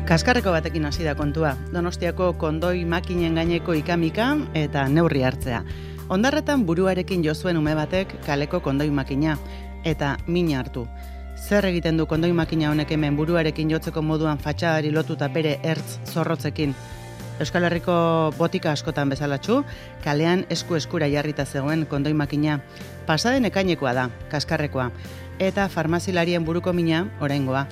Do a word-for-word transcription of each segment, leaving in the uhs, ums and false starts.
Kaskarreko batekin hasi da kontua. Donostiako kondoi makinen gaineko ikamika eta neurri hartzea. Ondarretan buruarekin jo zuen ume batek kaleko kondoi makina eta mina hartu. Zer egiten du kondoi makina honek hemen buruarekin jotzeko moduan fatxadari lotuta bere ertz zorrotzekin? Euskal Herriko botika askotan bezalatxu, kalean esku eskura jarrita zegoen kondoi makina. Pasaden ekainekoa da, kaskarrekoa. Eta farmazilarien buruko mina, oraingoa.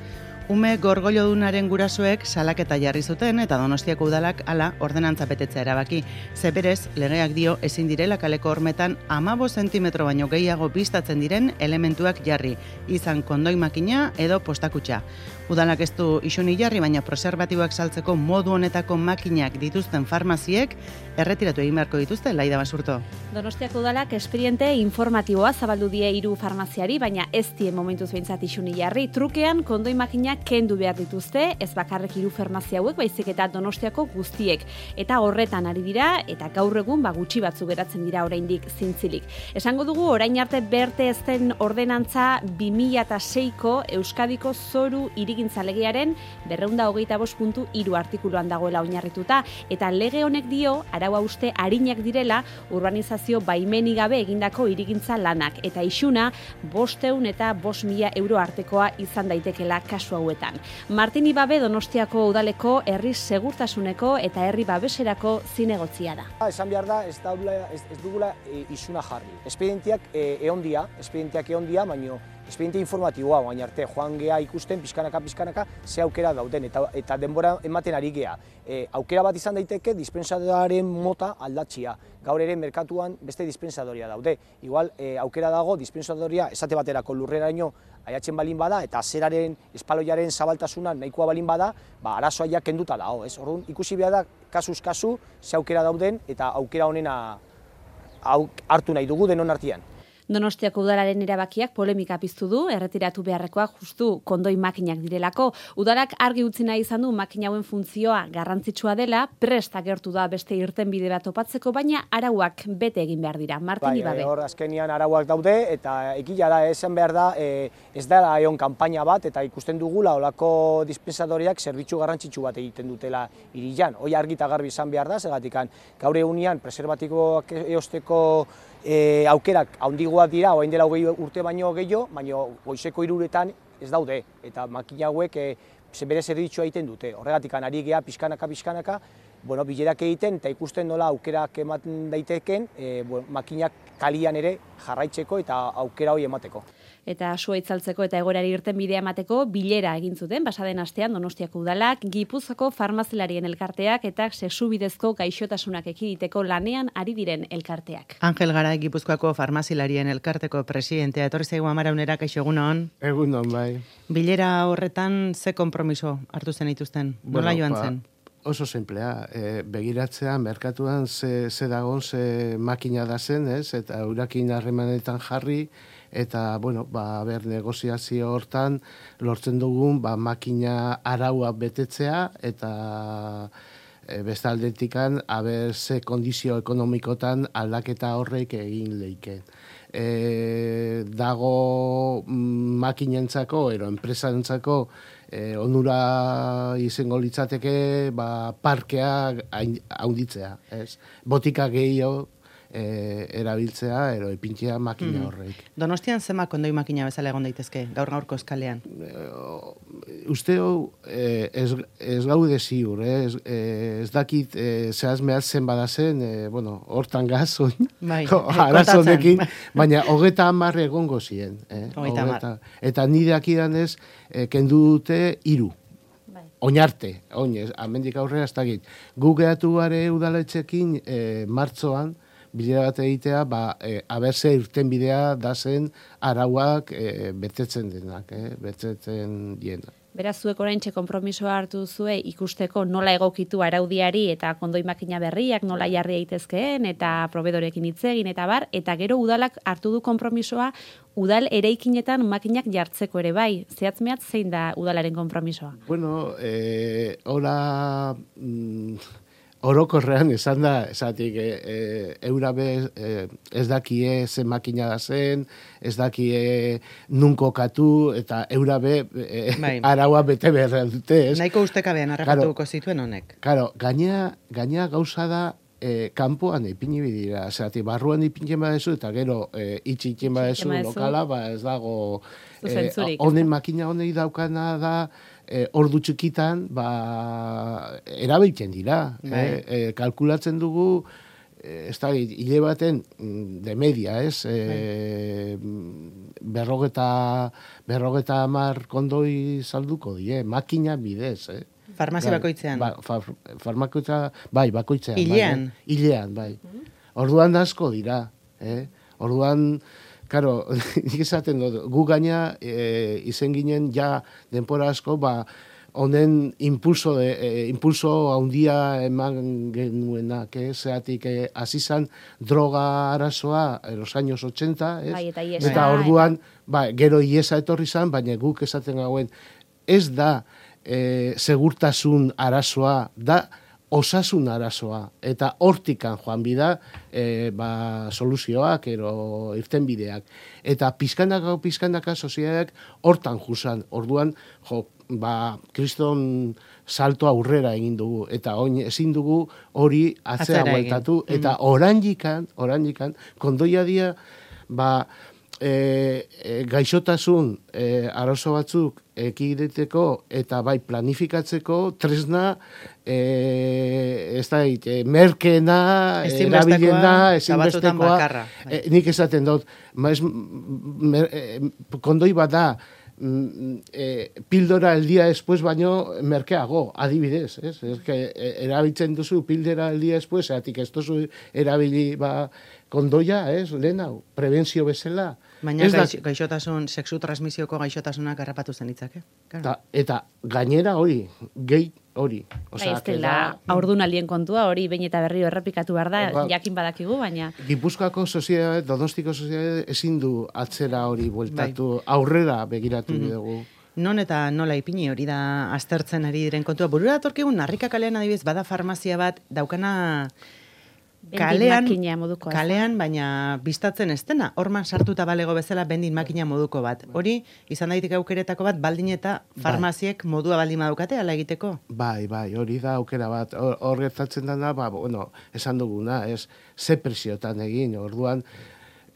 Ume gorgoilodunaren gurasoek salaketa jarri zuten eta Donostiako udalak hala ordenantza betetzea erabaki. Ze berez, legeak dio ezin direla kaleko hormetan hamabost zentimetro baino gehiago bistatzen diren elementuak jarri, izan kondoi makina edo postakutxa. Udalak ez du isuni jarri, baina preservatiboak saltzeko modu honetako makinak dituzten farmaziek erretiratu egin beharko dituzte, Laida Basurto. Donostiako udalak esperiente informatiboa zabaldu die hiru farmaziari, baina ez die momentuz behintzat isuni jarri. Trukean kondoi makinak kendu behar dituzte, ez bakarrek hiru farmazia hauek, baizik eta Donostiako guztiek. Eta horretan ari dira, eta gaur egun ba gutxi batzu geratzen dira oraindik zintzilik. Esango dugu, orain arte berte ez den ordenantza bi mila seiko Euskadiko zoru hirigintza legearen berrehun eta hogeita bost puntu hiru artikuluan dagoela oinarrituta, eta lege honek dio, araua uste arinak direla, urbanizazio baimenik gabe egindako hirigintza lanak, eta isuna bostehun eta bost mila euro artekoa izan daitekela kasu hau. Martin Ibabe Donostiako udaleko herri segurtasuneko eta herri babeserako zinegotzia da. Esan behar da, ez, daula, ez, ez dugula e, isuna jarri. Espedientiak e, eondia, espedientiak eondia, baina espediente informatiboa, baina arte, joan gea ikusten, pizkanaka, pizkanaka, ze aukera dauden, eta, eta denbora ematen ari gea. E, aukera bat izan daiteke, dispensadoraren mota aldatxia. Gaur ere merkatuan beste dispensadoria daude. Igual, e, aukera dago, dispensadoria esate baterako lurreraino aiatzen balin bada, eta zeraren, espaloiaren zabaltasuna nahikoa balin bada, ba, arazoa ja kenduta dago, ez? Orduan, ikusi behar da, kasuz kasu, ze aukera dauden, eta aukera honena hartu nahi dugu denon artean. Donostiako udalaren erabakiak polemika piztu du, erretiratu beharrekoak justu kondoi makinak direlako. Udalak argi utzi nahi izan du makina hauen funtzioa garrantzitsua dela, prest agertu da beste irtenbide bat topatzeko, baina arauak bete egin behar dira. Martin bai, Ibabe. Hor azkenian arauak daude, eta egia da, esan behar da, e, ez dela egon kanpaina bat, eta ikusten dugula olako dispensadoriak zerbitzu garrantzitsu bat egiten dutela hirian. Hoi argi eta garbi izan behar da, zegatikan gaur egunean preservatikoak eosteko E, aukerak haundigoak dira, orain dela hogei urte baino gehiago, baina goizeko hiruretan ez daude, eta makina hauek e, bere zerbitzua egiten dute. Horregatik ari gea pixkanaka, pixkanaka, bueno, bilerak egiten eta ikusten nola aukerak ematen daiteken, e, bueno, makinak kalian ere jarraitzeko eta aukera hori emateko. Eta sua itzaltzeko eta egoerari irtenbidea emateko bilera egin zuten pasaden astean Donostiako udalak, Gipuzkoako farmazilarien elkarteak eta sexubidezko gaixotasunak ekiditeko lanean ari diren elkarteak. Angel Garay, Gipuzkoako farmazilarien elkarteko presidentea, etorri zaigu Amaraunera, kaixo egunon. Egunon, bai. Bilera horretan ze konpromiso hartu zen dituzten? Nola bueno, joan ba, zen? Oso simplea, e, begiratzea, merkatuan ze, ze dagon, ze makina da zen, ez? Eta urakin harremanetan jarri, eta, bueno, ba, ber, negoziazio hortan lortzen dugun, ba, makina araua betetzea, eta e, beste aldetikan, aber, ze kondizio ekonomikotan aldaketa horrek egin leiken. E, dago mm, makinentzako, ero, enpresantzako, E, onura izango litzateke ba, parkea haunditzea, ez? Botika gehiago e, erabiltzea, ero epintzea makina horreik. Mm. Donostian zema kondoi makina bezala egon daitezke, gaur gaurko eskalean? E, Usteo e, ez, ez gaude ziur, eh? ez, e, ez dakit e, zehaz mehaz zen badazen, e, bueno, hortan gaz, bai, arazonekin, baina hogeta hamar egongo ziren. Eh? Hogeta Eta nire akidanez, e, kendu dute hiru. Oinarte, oinez, amendik aurrera ez dakit. Gu gehatu gare udaletxekin e, martzoan, bilera bat egitea, ba, e, aberze irtenbidea da zen arauak e, betetzen denak, eh? betetzen dienak. Beraz, zuek oraintxe konpromisoa hartu zue ikusteko nola egokitu araudiari eta kondoi makina berriak nola jarri daitezkeen eta probedorekin hitz egin eta bar, eta gero udalak hartu du konpromisoa udal eraikinetan makinak jartzeko ere bai. Zehatz mehatz zein da udalaren konpromisoa? Bueno, eh, ora... Mm, orokorrean esan da, esatik, e, e, eurabe e, ez dakie ze makina da zen, ez dakie nun kokatu, eta eurabe e, Bai. araua bete behar dute, ez? Nahiko ustekabean harrapatuko zituen honek. Karo, gaina, gaina gauza da, e, kanpoan ipini bidira, zerati, barruan ipintzen badezu, eta gero e, itxitzen badezu badezu. lokala, ba ez dago, e, Zuzentzurik, honen makina honei daukana da, e, ordu txikitan, ba, erabiltzen dira. Bai. E, e, kalkulatzen dugu, e, ez da, hile baten, mm, de media, ez? E, berrogeta, berrogeta amar kondoi salduko die, makina bidez, eh? Farmazia Bai, bakoitzean. Ba, fa, farmakoitza, bai, bakoitzean. Hilean. Bai, eh? Hilean, bai. Orduan asko dira. Eh? Orduan, karo, nik esaten dut, gu gaina e, izen ginen ja denpora asko, ba, honen impulso, de, e, impulso handia eman genuenak, eh? Zeatik, eh, azizan droga arazoa, en los años ochenta, ez? Bai, eta iesa, Eta orduan, ba, gero iesa etorri zan, baina guk esaten gauen, ez da, E, segurtasun arazoa, da osasun arazoa, eta hortikan joan bida e, ba, soluzioak, ero irtenbideak. Eta pizkanaka, pizkanaka soziadak hortan juzan. Orduan, jo, ba, kriston salto aurrera egin dugu, eta oin ezin dugu hori atzea Atzera bueltatu, egin. eta oranjikan, oranjikan, kondoia dia, ba, E, e, gaixotasun e, arazo batzuk ekideteko eta bai planifikatzeko tresna e, ez da e, merkeena erabilena, ezinbestekoa, e, nik esaten dut, maiz, mer, e, kondoi bat da, e, pildora el día después baino merkeago, adibidez, ez? Ez que erabiltzen duzu pildora el día después, eatik ez duzu erabili ba, kondoia, ez, lehen hau, prebentzio bezala. Baina gaix, gaixotasun, sexu transmisioko gaixotasunak harrapatu zen itzake. Eta, eta gainera hori, gehi hori. Bai, ez dela haurdunaldien kontua, hori behin eta berriro errepikatu behar da, ba, jakin badakigu, baina... Gipuzkoako soziedade, Donostiko soziedade ezin du atzera hori bueltatu, bai. Aurrera begiratu mm-hmm. dugu. Non eta nola ipini hori da aztertzen ari diren kontua. Burura datorkigun, Narrika kalean adibidez, bada farmazia bat, daukana... Kalean, moduko, kalean, baina bistatzen ez dena, horman sartuta balego bezala bendin makina moduko bat. Hori, izan daiteke aukeretako bat, baldin eta farmaziek bai. Modua baldin badukate, ala egiteko? Bai, bai, hori da aukera bat. Hor gertatzen dena, ba, bueno, esan duguna, ez, ze presiotan egin, orduan,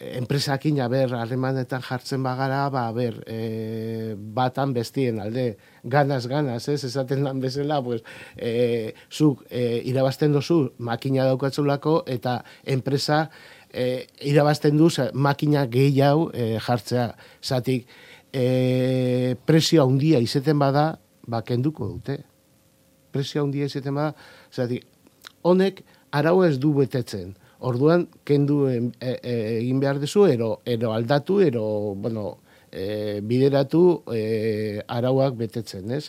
enpresakin, aber, harremanetan jartzen bagara, ba, ber, e, batan bestien alde, ganaz, ganaz, ez, esaten lan bezala, pues, e, zuk e, irabazten dozu makina daukatzulako, eta enpresa e, irabazten du makina gehiago e, jartzea. Zatik, e, presio handia izeten bada, ba, kenduko dute. Presio handia izeten bada, zatik, honek arau ez du betetzen. Orduan, kendu egin e, e, behar duzu, ero, ero aldatu, ero, bueno, e, bideratu e, arauak betetzen, ez?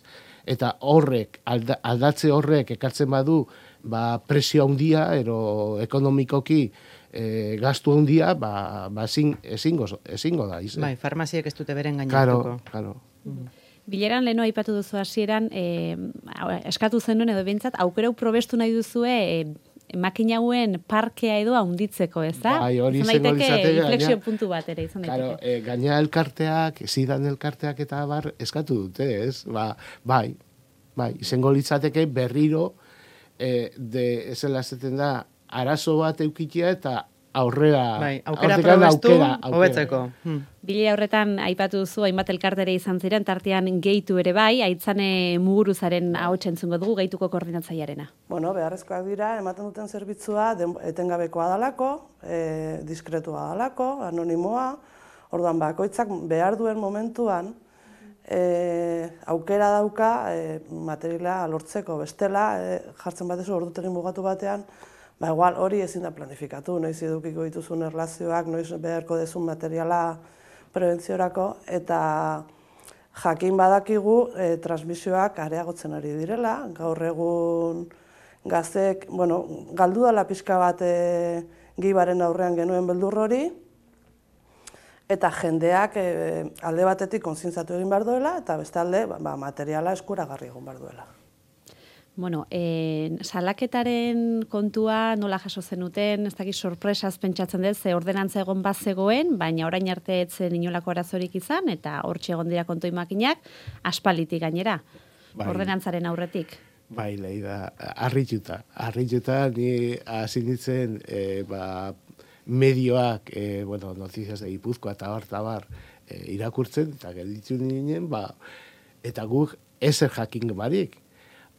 Eta horrek, alda, aldatze horrek ekartzen badu, ba, presio handia, ero ekonomikoki e, gastu handia, ba, ba ezin, ezingo, ezingo da, izan. Bai, farmaziek ez dute beren gainatuko. Karo, karo. Mm. Bileran leheno aipatu duzu hasieran, e, eskatu zenuen edo behintzat, aukerau probestu nahi duzue, e, makina hauen parkea edo haunditzeko, ez da? Bai, hori izan daiteke inflexio puntu bat ere, izan daiteke. Claro, e, gaina elkarteak, zidan elkarteak eta bar, eskatu dute, ez? Ba, bai, bai, izango litzateke berriro, e, de, ezela zeten da, arazo bat eukitia eta aurrera, bai, aukera probestu, hobetzeko. Hmm. Bile horretan aipatu duzu, hainbat elkartere izan ziren, tartean gehitu ere bai, Aitzane Muguruzaren ahots entzungo dugu, gehituko koordinatzailearena. Bueno, beharrezkoak dira, ematen duten zerbitzua etengabekoa dalako, e, diskretua dalako, anonimoa, orduan bakoitzak behar duen momentuan, e, aukera dauka e, materiala lortzeko, bestela, e, jartzen batezu ordutegin bugatu batean, ba, igual hori ezin da planifikatu, noiz edukiko dituzun erlazioak, noiz beharko dezun materiala prebentziorako, eta jakin badakigu e, transmisioak areagotzen ari direla, gaur egun gaztek, bueno, galdu dela pixka bat e, gibaren aurrean genuen beldur hori, eta jendeak e, alde batetik kontzientzatu egin behar duela, eta beste alde ba, materiala eskuragarri egon behar duela. Bueno, e, salaketaren kontua nola jaso zenuten, ez dakit sorpresaz pentsatzen dut, ze ordenantza egon bazegoen, baina orain arte etzen inolako arazorik izan, eta hortxe egon dira kontoi makinak, aspalitik gainera, bai. Ordenantzaren aurretik. Bai, Leida, harrituta, harrituta ni hasi nintzen, e, ba, medioak, e, bueno, Noticias de Gipuzkoa eta bar, eta bar, e, irakurtzen, eta gelditu ninen, ba, eta guk ezer jakin barik.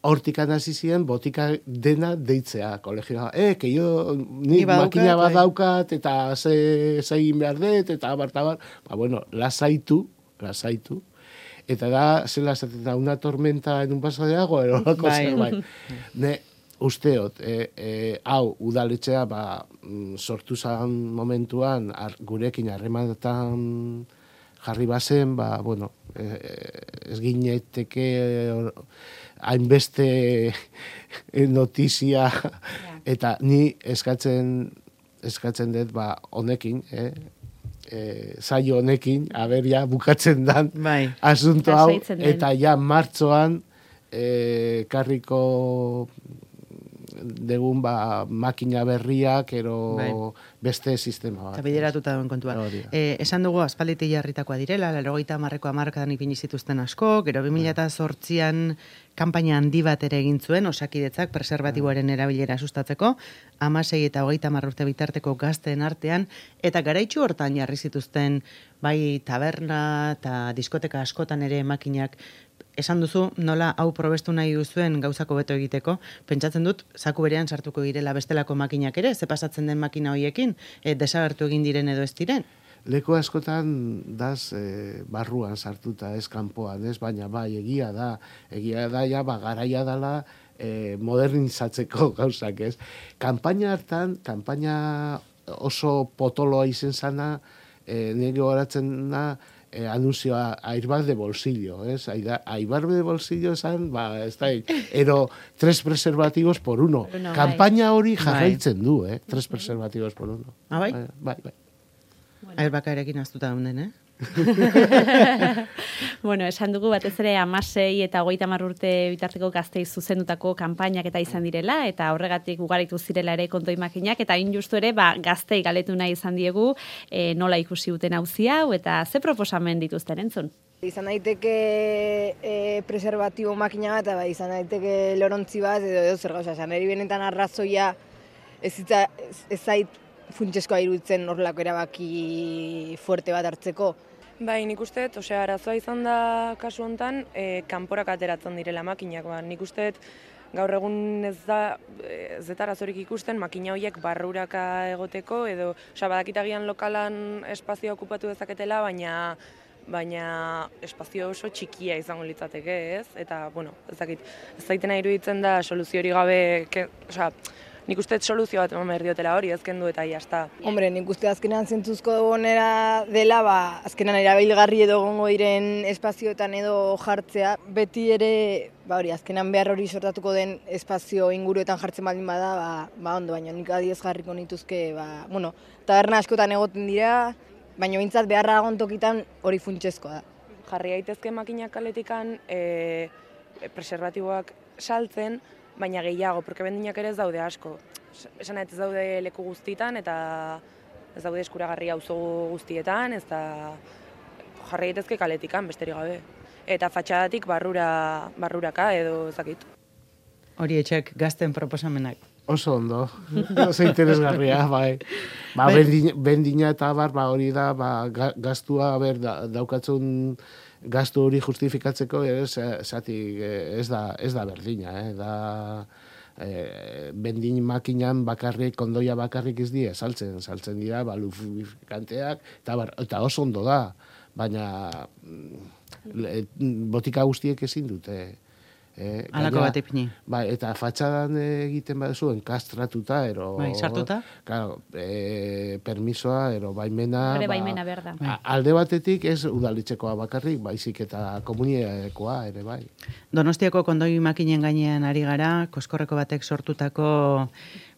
Hortikan hasi ziren botika dena deitzea kolegioa. Eh, que yo ni makina bat daukat eta ze egin behar dut eta abar, eta abar. Ba, bueno, lasaitu, lasaitu. Eta da, zela esaten da, una tormenta en un vaso de agua, ero lako zer, bai. Ne, usteot, e, e, hau, udaletxea, ba, sortu zan momentuan, ar, gurekin harremanetan jarri bazen, ba, bueno, e, ez gineteke hainbeste notizia, eta ni eskatzen eskatzen dut, ba, honekin, eh? E, zailo honekin, aberia, bukatzen dan bai. Asunto hau, eta ja martzoan e, karriko degun ba, makina berriak, ero bai. Beste sistema bat. Eta bideratuta duen kontua. No, e, esan dugu, aspaliti jarritakoa direla, laurogeita hamarreko hamarkadan ipini zituzten asko, gero bi mila zortzian kanpaina handi bat ere egin zuen, Osakidetzak preservatiboaren erabilera sustatzeko, hamasei eta hogeita hamar urte bitarteko gazteen artean, eta garaitxu hortan jarri zituzten bai taberna eta diskoteka askotan ere makinak. Esan duzu, nola hau probestu nahi duzuen gauzako beto egiteko, pentsatzen dut, zaku berean sartuko girela bestelako makinak ere, ze pasatzen den makina hoiekin, e, desagertu egin diren edo ez diren? Leku askotan daz e, barruan sartuta, ez kanpoan, ez, baina bai, egia da, egia da, ja, ba, garaia dela e, modernizatzeko gauzak, ez. Kanpaina hartan, kanpaina oso potoloa izen zana, e, nire horatzen da, Eh, anunzioa airbag de bolsillo, ez? Airbag de bolsillo esan, ba, ez da, ero tres preservativos por uno. uno Kampaina hori jarraitzen du, eh? Tres preservativos por uno. Ah, bai? Bai, bai. Bueno. Airbaga erekin aztuta daunden, eh? Bueno, esan dugu batez ere hamasei eta hogeita hamar urte bitarteko gaztei zuzendutako kanpainak eta izan direla, eta horregatik ugaritu zirela ere kontoi makinak, eta hain justu ere, ba, gaztei galetu nahi izan diegu, e, nola ikusi duten auzi hau, eta ze proposamen dituzten entzun? Izan daiteke e, preservatibo makina bat, eta izan daiteke lorontzi bat, edo edo zer gauza, esan eri benetan arrazoia ez, ez, ez zait funtseskoa iruditzen horrelako erabaki fuerte bat hartzeko. Bai, nik uste, osea, arazoa izan da kasu hontan, e, kanporak ateratzen direla makinak. Ba, nik uste, gaur egun ez da, ez eta arazorik ikusten, makina horiek barruraka egoteko, edo, osea, badakitagian lokalan espazioa okupatu dezaketela, baina baina espazio oso txikia izango litzateke, ez? Eta, bueno, ez dakit, ez zaitena iruditzen da soluzio hori gabe, ke, osea, nik uste soluzio bat eman behar diotela hori, ezken du eta jazta. Hombre, nik uste azkenean zentzuzko gonera dela, ba, azkenean erabilgarri edo gongo diren espazioetan edo jartzea, beti ere, ba hori, azkenean behar hori sortatuko den espazio inguruetan jartzen baldin bada, ba, ba ondo, baina nik adiez jarriko nituzke, ba, bueno, taberna askotan egoten dira, baina bintzat beharra agontokitan hori funtsezkoa da. Jarri daitezke makinak kaletikan e, preservatiboak saltzen, baina gehiago, porque bendinak ere ez daude asko. Esan ez daude leku guztietan eta ez daude eskuragarri auzo guztietan, ez da jarri daitezke kaletikan, besterik gabe. Eta fatxadatik barrura, barruraka edo ezakit. Hori etxek gazten proposamenak. Oso ondo, oso interesgarria, bai. Ba, bendina, bendina eta bar, ba, hori da, ba, gaztua, ber, da, daukatzun gastu hori justifikatzeko, esatik ez da, ez da berdina, eh? Da, e, bendin makinan bakarrik, kondoia bakarrik ez die, saltzen, saltzen dira, ba, lubrikanteak, eta, bar, eta oso ondo da, baina le, botika guztiek ezin dute. Eh, Alako bat ipini. Bai, eta fatxadan egiten baduzu enkastratuta, ero... Bai, sartuta? Claro, e, permisoa, ero baimena... Hore baimena ba, berda. Bai. Alde batetik ez udalitzekoa bakarrik, baizik eta komunidadekoa ere, bai. Donostiako kondoi makinen gainean ari gara, Koskorreko batek sortutako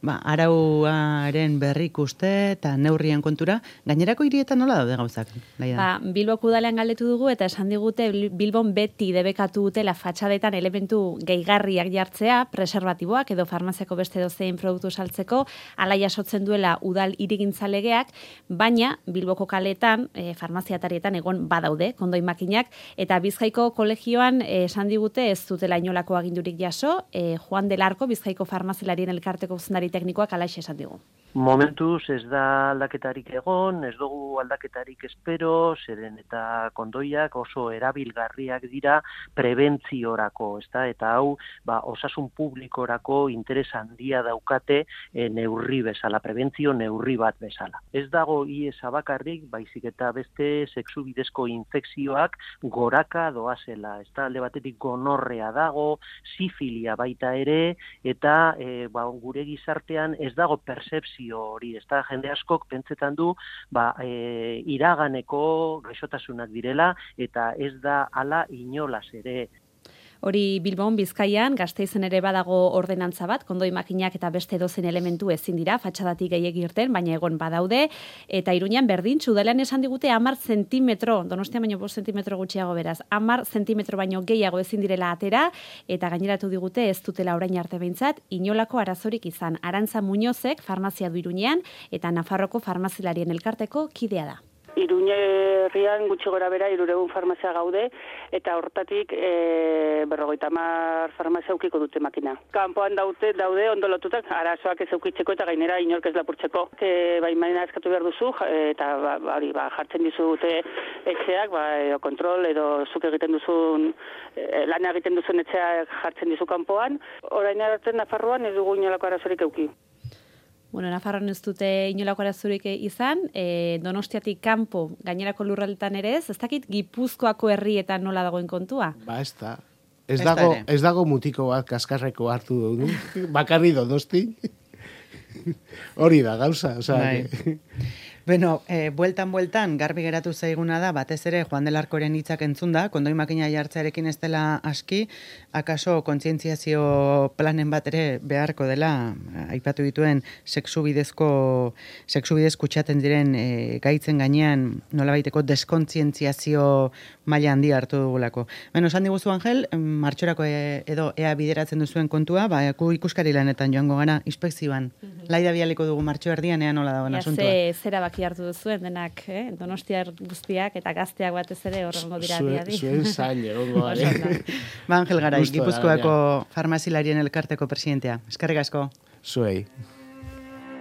ba, arauaren berri ikuste eta neurrien kontura, gainerako hirietan nola daude gauzak? Laia? Ba, Bilboko udalean galdetu dugu eta esan digute Bilbon beti debekatu dutela fatxadetan elementu gehigarriak jartzea, preservatiboak edo farmaziako beste dozein produktu saltzeko, ala jasotzen duela udal hirigintzalegeak, baina Bilboko kaletan, e, farmaziatarietan egon badaude kondoi makinak, eta Bizkaiko kolegioan esan digute ez dutela inolako agindurik jaso, e, Juan del Arco, Bizkaiko farmazilarien elkarteko zuzendari teknikoak alaxe esan digu. Momentuz ez da aldaketarik egon, ez dugu aldaketarik espero, zeren eta kondoiak oso erabilgarriak dira prebentziorako, ezta? Eta hau, ba, osasun publikorako interes handia daukate e, neurri bezala, prebentzio neurri bat bezala. Ez dago I E S bakarrik, baizik eta beste sexu bidezko infekzioak goraka doazela, ezta? Alde batetik gonorrea dago, sifilia baita ere, eta e, ba, gure gizartean ez dago percepzio hori, ez da, jende askok pentsetan du, ba, e, iraganeko gaixotasunak direla, eta ez da hala inolaz ere. Hori Bilbon, Bizkaian, Gasteizen ere badago ordenantza bat, kondoi makinak eta beste dozen elementu ezin dira, fatxadatik gehiegi irten, baina egon badaude, eta Iruñan berdin, udalean esan digute hamar zentimetro, Donostia baino bost zentimetro gutxiago beraz, hamar zentimetro baino gehiago ezin direla atera, eta gaineratu digute ez dutela orain arte behintzat, inolako arazorik izan. Arantza Muñozek, farmazia du Iruñean, eta Nafarroko farmazilarien elkarteko kidea da. Iruñerrian gutxi gora bera hirurehun farmazia gaude eta hortatik e, berrogeita hamar farmazia aukiko dute makina. Kanpoan daute daude ondo lotutak arazoak ez aukitzeko eta gainera inork ez lapurtzeko. E, baimena eskatu behar duzu eta ba, ba, ba, jartzen dizute etxeak, ba, edo kontrol edo zuk egiten duzun e, lan egiten duzun etxeak jartzen dizu kanpoan. Orain arte Nafarroan ez dugu inolako arazorik euki. Bueno, Nafarroan ez dute inolako arazorik izan, e, Donostiatik kanpo gainerako lurraldetan ere ez, ez dakit Gipuzkoako herrietan nola dagoen kontua? Ba, ez da. Ez dago, ez dago mutiko bat kaskarreko hartu dugu, bakarri Donosti. Hori da gauza, osea. Beno, e, bueltan bueltan garbi geratu zaiguna da, batez ere Juan del Arcoren hitzak entzunda, kondoi makina jartzearekin ez dela aski, akaso kontzientziazio planen bat ere beharko dela, aipatu dituen sexu bidezko, sexu bidez kutsaten diren e, gaitzen gainean nolabaiteko deskontzientziazio maila handi hartu dugulako. Beno, esan diguzu Angel, martxorako e, edo ea bideratzen duzuen kontua, ba, ikuskari lanetan joango gana, inspekzioan. Mm-hmm. Laida bialiko dugu martxo erdian ea nola dagoen asuntua. Zera baki hartu duzuen denak, eh? Donostiar guztiak eta gazteak batez ere horrengo dira diadi. Zuen zain egongo gare. Ba, Angel Garai, Gipuzkoako farmazilarien elkarteko presidentea. Eskerrik asko. Zuei.